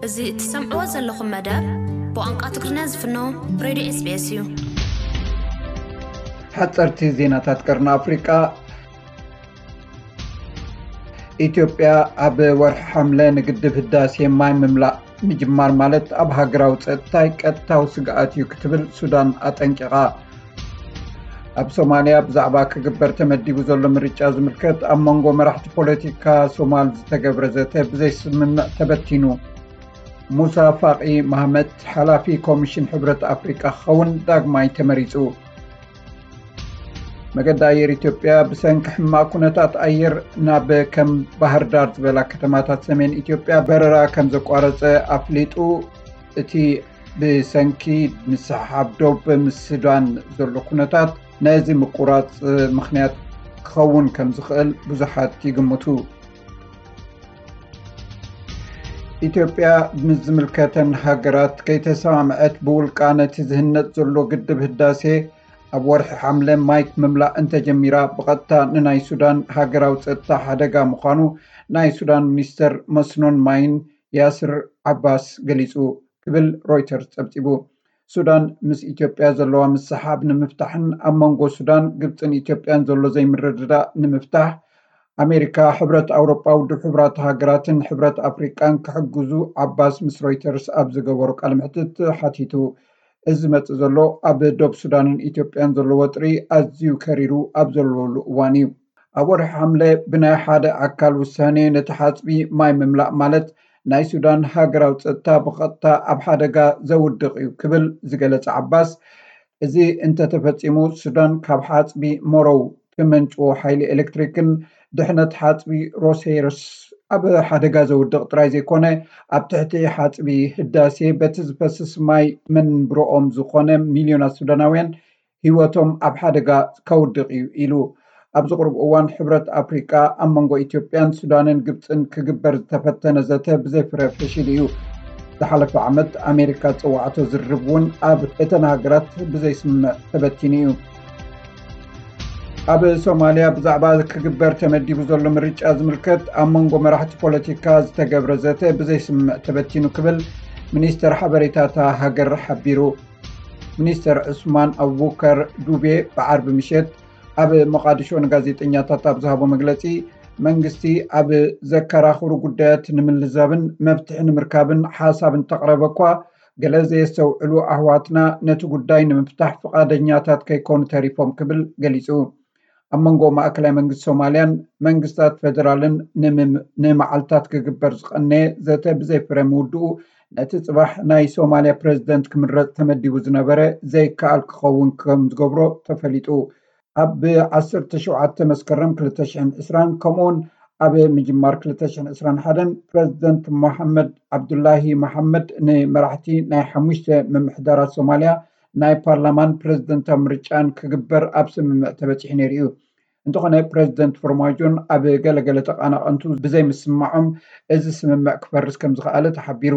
እዚ እትሰምዕዎ ዘለኹም መደብ ብቋንቋ ትግርኛ ዝፍኖ ሬድዮ ኤስቢኤስ እዩ። ሓፀርቲ ዜናታት ቀርኒ ኣፍሪቃ። ኢትዮጵያ ኣብ ወርሒ ሓምለ ንግድብ ህዳሴ ማይ ምምላእ ምጅማር ማለት ኣብ ሃገራዊ ፀጥታይ ቀጥታዊ ስግኣት እዩ ክትብል ሱዳን ኣጠንቂቓ። ኣብ ሶማልያ ብዛዕባ ክግበር ተመዲቡ ዘሎ ምርጫ ዝምልከት ኣብ መንጎ መራሕቲ ፖለቲካ ሶማል ዝተገብረ ዘተ ብዘይስምምዕ ተበቲኑ። ሙሳ ፋቂ ማህመት ሓላፊ ኮሚሽን ሕብረት ኣፍሪቃ ክኸውን ዳግማይ ተመሪጹ። መገዲ ኣየር ኢትዮጵያ ብሰንኪ ሕማቕ ኩነታት ኣየር ናብ ከም ባህር ዳር ዝበላ ከተማታት ሰሜን ኢትዮጵያ በረራ ከም ዘቋረጸ ኣፍሊጡ። እቲ ብሰንኪ ምስሕሓብ ዶብ ምስ ሱዳን ዘሎ ኩነታት ነዚ ምቁራጽ ምኽንያት ክኸውን ከም ዝኽእል ብዙሓት ይግምቱ። ኢትዮጵያ ምስ ዝምልከተን ሃገራት ከይተሰማምዐት ብውልቃ ነቲ ዝህነጽ ዘሎ ግድብ ህዳሴ ኣብ ወርሒ ሓምለ ማይ ምምላእ እንተጀሚራ ብቐጥታ ንናይ ሱዳን ሃገራዊ ጸጥታ ሓደጋ ምዃኑ ናይ ሱዳን ሚኒስተር መስኖን ማይን ያስር ዓባስ ገሊጹ ክብል ሮይተርስ ጸብጺቡ። ሱዳን ምስ ኢትዮጵያ ዘለዋ ምስሓብ ንምፍታሕን ኣብ መንጎ ሱዳን፣ ግብጽን ኢትዮጵያን ዘሎ ዘይምርድዳእ ንምፍታሕ ኣሜሪካ፣ ሕብረት ኣውሮጳ፣ ውድብ ሕቡራት ሃገራትን ሕብረት ኣፍሪቃን ክሕግዙ ዓባስ ምስ ሮይተርስ ኣብ ዝገበሮ ቃለ መሕትት ሓቲቱ። እዚ ዝመጽእ ዘሎ ኣብ ዶብ ሱዳንን ኢትዮጵያን ዘሎ ወጥሪ ኣዝዩ ከሪሩ ኣብ ዘለሉ እዋን እዩ። ኣብ ወርሒ ሓምለ ብናይ ሓደ ኣካል ውሳኔ ነቲ ሓጽቢ ማይ ምምላእ ማለት ናይ ሱዳን ሃገራዊ ጸጥታ ብቐጥታ ኣብ ሓደጋ ዘውድቕ እዩ ክብል ዝገለጸ ዓባስ፣ እዚ እንተተፈጺሙ ሱዳን ካብ ሓጽቢ ሞሮው ትመንጭዎ ሓይሊ ኤሌክትሪክን ድሕነት ሓጽቢ ሮሴርስ ኣብ ሓደጋ ዘውድቕ ጥራይ ዘይኮነ ኣብ ትሕቲ ሓጽቢ ህዳሴ በቲ ዝፈስስ ማይ መንብሮኦም ዝኾነ ሚልዮናት ሱዳናውያን ህይወቶም ኣብ ሓደጋ ከውድቕ እዩ ኢሉ። ኣብዚ ቁሩብ እዋን ሕብረት ኣፍሪቃ ኣብ መንጎ ኢትዮጵያን ሱዳንን ግብፅን ክግበር ዝተፈተነ ዘተ ብዘይፍረ ፈሺሉ እዩ። ዝሓለፈ ዓመት ኣሜሪካ ዝፀዋዕቶ ዝርርብ እውን ኣብ እተን ሃገራት ብዘይስምምዕ ተበቲኑ እዩ። ኣብ ሶማልያ ብዛዕባ ክግበር ተመዲቡ ዘሎ ምርጫ ዝምልከት ኣብ መንጎ መራሕቲ ፖለቲካ ዝተገብረ ዘተ ብዘይስምምዕ ተበቲኑ ክብል ሚኒስተር ሓበሬታ እታ ሃገር ሓቢሩ። ሚኒስተር ዑስማን ኣቡበከር ዱቤ ብዓርቢ ምሸት ኣብ መቓድሾ ንጋዜጠኛታት ኣብ ዝሃቦ መግለጺ፣ መንግስቲ ኣብ ዘከራኽሩ ጉዳያት ንምልዛብን መፍትሒ ንምርካብን ሓሳብ እንተቕረበ እኳ፣ ገለ ዘየስተውዕሉ ኣሕዋትና ነቲ ጉዳይ ንምፍታሕ ፍቓደኛታት ከይኮኑ ተሪፎም ክብል ገሊጹ። ኣብ መንጎ ማእከላይ መንግስቲ ሶማልያን መንግስታት ፌደራልን ንምም-፣ ንመዓልታት ክግበር ዝቐነየ ዘተ ብዘይፍረ ምውድኡ፣ ነቲ ጽባሕ ናይ ሶማልያ ፕረዚደንት ክምረጽ ተመዲቡ ዝነበረ ዘይከኣል ክኸውን ከም ዝገብሮ ተፈሊጡ። ኣብ ዓሰርተ ሸውዓተ መስከረም ክልተ ሽሕን ዕስራን ከምኡውን ኣብ ምጅማር ክልተ ሽሕን ዕስራን ሓደን ፕረዚደንት መሓመድ ዓብዱላሂ መሓመድ ንመራሕቲ ናይ ሓሙሽተ ምምሕዳራት ሶማልያ ናይ ፓርላማን ፕረዚደንታዊ ምርጫን ክግበር ኣብ ስምምዕ ተበጺሑ ነይሩ እዩ። እንተኾነ ፕረዚደንት ፎርማጆን ኣብ ገለገለ ተቓናቐንቱ ብዘይምስምማዖም እዚ ስምምዕ ክፈርስ ከም ዝኸኣለ ተሓቢሩ።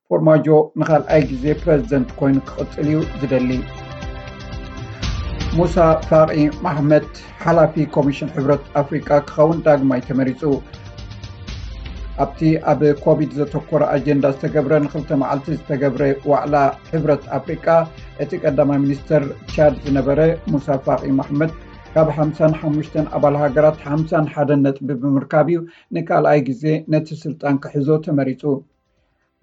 ፎርማጆ ንኻልኣይ ግዜ ፕረዚደንት ኮይኑ ክቕጽል እዩ ዝደሊ። ሙሳ ፋቂ ማሕመድ ሓላፊ ኮሚሽን ሕብረት ኣፍሪቃ ክኸውን ዳግማይ ተመሪጹ። ኣብቲ ኣብ ኮቪድ ዘተኮረ ኣጀንዳ ዝተገብረ ንክልተ መዓልቲ ዝተገብረ ዋዕላ ሕብረት ኣፍሪቃ፣ እቲ ቀዳማይ ሚኒስተር ቻድ ዝነበረ ሙሳ ፋቂ ማሕመድ ካብ ሓምሳን ሓሙሽተን ኣባል ሃገራት ሓምሳን ሓደን ነጥቢ ብምርካብ እዩ ንካልኣይ ግዜ ነቲ ስልጣን ክሕዞ ተመሪጹ።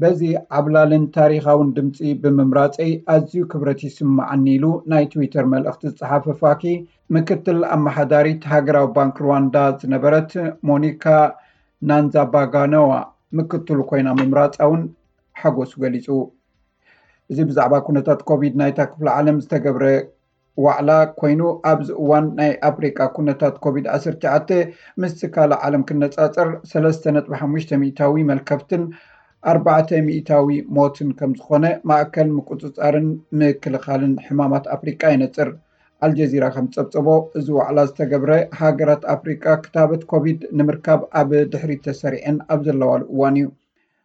በዚ ዓብላልን ታሪኻውን ድምጺ ብምምራጸይ ኣዝዩ ክብረት ይስምዓኒ ኢሉ ናይ ትዊተር መልእኽቲ ዝጸሓፈ ፋኪ፣ ምክትል ኣመሓዳሪት ሃገራዊ ባንክ ሩዋንዳ ዝነበረት ሞኒካ ናንዛባጋነዋ ምክትሉ ኮይና ምምራጻ እውን ሓጎሱ ገሊጹ። እዚ ብዛዕባ ኩነታት ኮቪድ ናይታ ክፍለ ዓለም ዝተገብረ ዋዕላ ኮይኑ፣ ኣብዚ እዋን ናይ ኣፍሪቃ ኩነታት ኮቪድ ዓሰርተ ትሽዓተ ምስቲ ካልእ ዓለም ክነጻጸር ሰለስተ ነጥቢ ሓሙሽተ ሚእታዊ መልከፍትን ኣርባዕተ ሚእታዊ ሞትን ከም ዝኾነ ማእከል ምቁጽጻርን ምክልኻልን ሕማማት ኣፍሪቃ የነጽር። ኣልጀዚራ ከም ዝጸብጸቦ፣ እዚ ዋዕላ ዝተገብረ ሃገራት ኣፍሪቃ ክታበት ኮቪድ ንምርካብ ኣብ ድሕሪት ተሰሪዐን ኣብ ዘለዋሉ እዋን እዩ።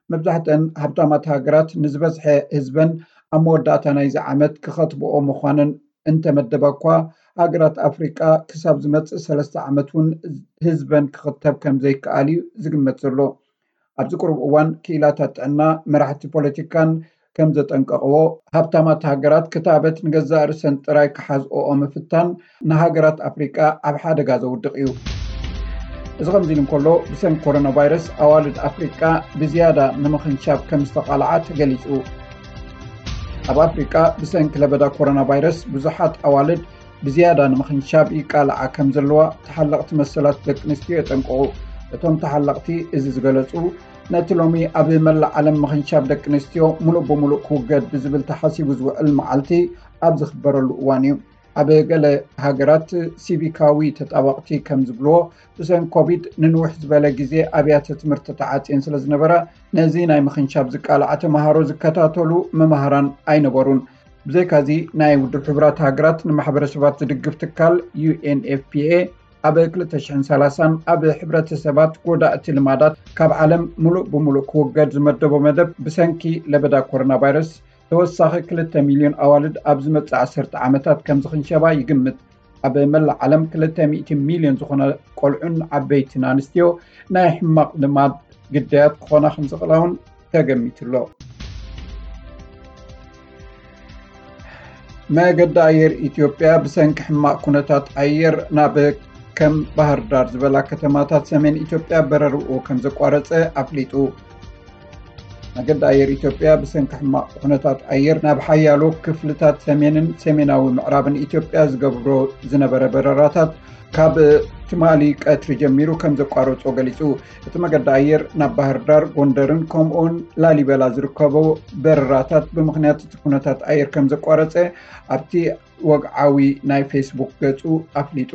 መብዛሕተን ሃብታማት ሃገራት ንዝበዝሐ ህዝበን ኣብ መወዳእታ ናይዚ ዓመት ክኸትብኦ ምዃነን እንተመደባ እኳ፣ ሃገራት ኣፍሪቃ ክሳብ ዝመጽእ ሰለስተ ዓመት እውን ህዝበን ክኽተብ ከም ዘይከኣል እዩ ዝግመት ዘሎ። ኣብዚ ቅሩብ እዋን ክኢላታት ጥዕና፣ መራሕቲ ፖለቲካን ከም ዘጠንቀቕዎ፣ ሃብታማት ሃገራት ክታበት ንገዛእ ርእሰን ጥራይ ክሓዝኦኦ ምፍታን ንሃገራት ኣፍሪቃ ኣብ ሓደጋ ዘውድቕ እዩ። እዚ ከምዚ ኢሉ እንከሎ፣ ብሰንኪ ኮሮና ቫይረስ ኣዋልድ ኣፍሪቃ ብዝያዳ ንምኽንሻብ ከም ዝተቓልዓ ተገሊጹ። ኣብ ኣፍሪቃ ብሰንኪ ለበዳ ኮሮና ቫይረስ ብዙሓት ኣዋልድ ብዝያዳ ንምኽንሻብ ይቃልዓ ከም ዘለዋ ተሓለቕቲ መሰላት ደቂ ኣንስትዮ የጠንቅቑ። እቶም ተሓለቕቲ እዚ ዝገለጹ፣ ነቲ ሎሚ ኣብ መላእ ዓለም ምኽንሻብ ደቂ ኣንስትዮ ሙሉእ ብሙሉእ ክውገድ ብዝብል ተሓሲቡ ዝውዕል መዓልቲ ኣብ ዝኽበረሉ እዋን እዩ። ኣብ ገለ ሃገራት ሲቪካዊ ተጣበቕቲ ከም ዝብልዎ፣ ብሰንኪ ኮቪድ ንንውሕ ዝበለ ግዜ ኣብያተ ትምህርቲ ተዓጽየን ስለ ዝነበራ፣ ነዚ ናይ ምኽንሻብ ዝቃልዓ ተመሃሮ ዝከታተሉ መማህራን ኣይነበሩን። ብዘይካዚ፣ ናይ ውድብ ሕቡራት ሃገራት ንማሕበረሰባት ዝድግፍ ትካል ዩ ኤን ኤፍ ፒ ኤ ኣብ ክልተ ሽሕን ሰላሳን ኣብ ሕብረተሰባት ጎዳእቲ ልማዳት ካብ ዓለም ሙሉእ ብሙሉእ ክውገድ ዝመደቦ መደብ፣ ብሰንኪ ለበዳ ኮሮና ቫይረስ ተወሳኺ ክልተ ሚልዮን ኣዋልድ ኣብ ዝመጽእ ዓሰርተ ዓመታት ከም ዝኽንሸባ ይግምት። ኣብ መላእ ዓለም ክልተ ሚእቲ ሚልዮን ዝኾና ቆልዑን ዓበይትን ኣንስትዮ ናይ ሕማቕ ልማድ ግዳያት ክኾና ከም ዝኽእላ እውን ተገሚቱ ኣሎ። መገዲ ኣየር ኢትዮጵያ ብሰንኪ ሕማቕ ኩነታት ኣየር ናብ ከም ባህር ዳር ዝበላ ከተማታት ሰሜን ኢትዮጵያ በረርኡ ከም ዘቋረጸ ኣፍሊጡ። መገዲ ኣየር ኢትዮጵያ ብሰንኪ ሕማቕ ኩነታት ኣየር ናብ ሓያሎ ክፍልታት ሰሜንን ሰሜናዊ ምዕራብን ኢትዮጵያ ዝገብሮ ዝነበረ በረራታት ካብ ትማሊ ቀትሪ ጀሚሩ ከም ዘቋረጾ ገሊጹ። እቲ መገዲ ኣየር ናብ ባህር ዳር፣ ጎንደርን ከምኡውን ላሊበላ ዝርከቦ በረራታት ብምኽንያት እቲ ኩነታት ኣየር ከም ዘቋረጸ ኣብቲ ወግዓዊ ናይ ፌስቡክ ገጹ ኣፍሊጡ።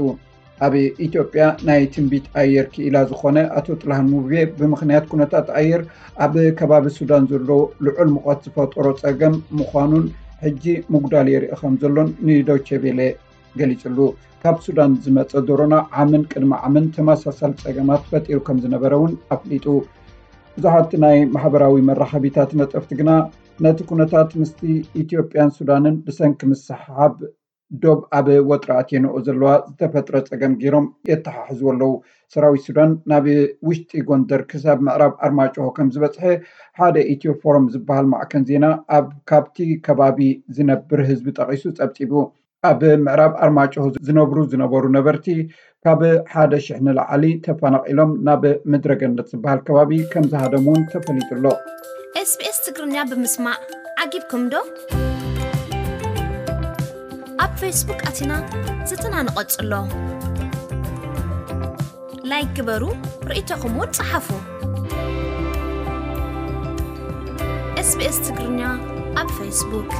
ኣብ ኢትዮጵያ ናይ ትንቢት ኣየር ክኢላ ዝኾነ ኣቶ ጥላሁን ሙቤ፣ ብምኽንያት ኩነታት ኣየር ኣብ ከባቢ ሱዳን ዘሎ ልዑል ሙቐት ዝፈጠሮ ጸገም ምዃኑን ሕጂ ምጉዳል የርኢ ከም ዘሎን ንዶቼ ቬለ ገሊጹሉ። ካብ ሱዳን ዝመጸ ዶሮና ዓምን ቅድሚ ዓምን ተመሳሳሊ ጸገማት ፈጢሩ ከም ዝነበረ እውን ኣፍሊጡ። ብዙሓት ናይ ማሕበራዊ መራኸቢታት ነጠፍቲ ግና ነቲ ኩነታት ምስቲ ኢትዮጵያን ሱዳንን ብሰንኪ ምስሕሓብ ዶብ ኣብ ወጥሪ ኣትየንኦ ዘለዋ ዝተፈጥረ ጸገም ገይሮም የተሓሕዝዎ ኣለዉ። ሰራዊት ሱዳን ናብ ውሽጢ ጎንደር ክሳብ ምዕራብ ኣርማጭሆ ከም ዝበጽሐ ሓደ ኢትዮ ፎረም ዝበሃል ማዕከን ዜና ኣብ ካብቲ ከባቢ ዝነብር ህዝቢ ጠቒሱ ጸብጺቡ። ኣብ ምዕራብ ኣርማጭሆ ዝነብሩ ዝነበሩ ነበርቲ ካብ ሓደ ሽሕ ንላዕሊ ተፈናቒሎም ናብ ምድረ ገነት ዝበሃል ከባቢ ከም ዝሃደሙ እውን ተፈሊጡ ኣሎ። ኤስቢኤስ ትግርኛ ብምስማዕ ዓጊብኩም ዶ? ኣብ ፌስቡክ ኣቲና ዝትና ንቐጽሎ። ላይክ ግበሩ፣ ርእይቶኹም እውን ጸሓፉ። ኤስቢኤስ ትግርኛ ኣብ ፌስቡክ።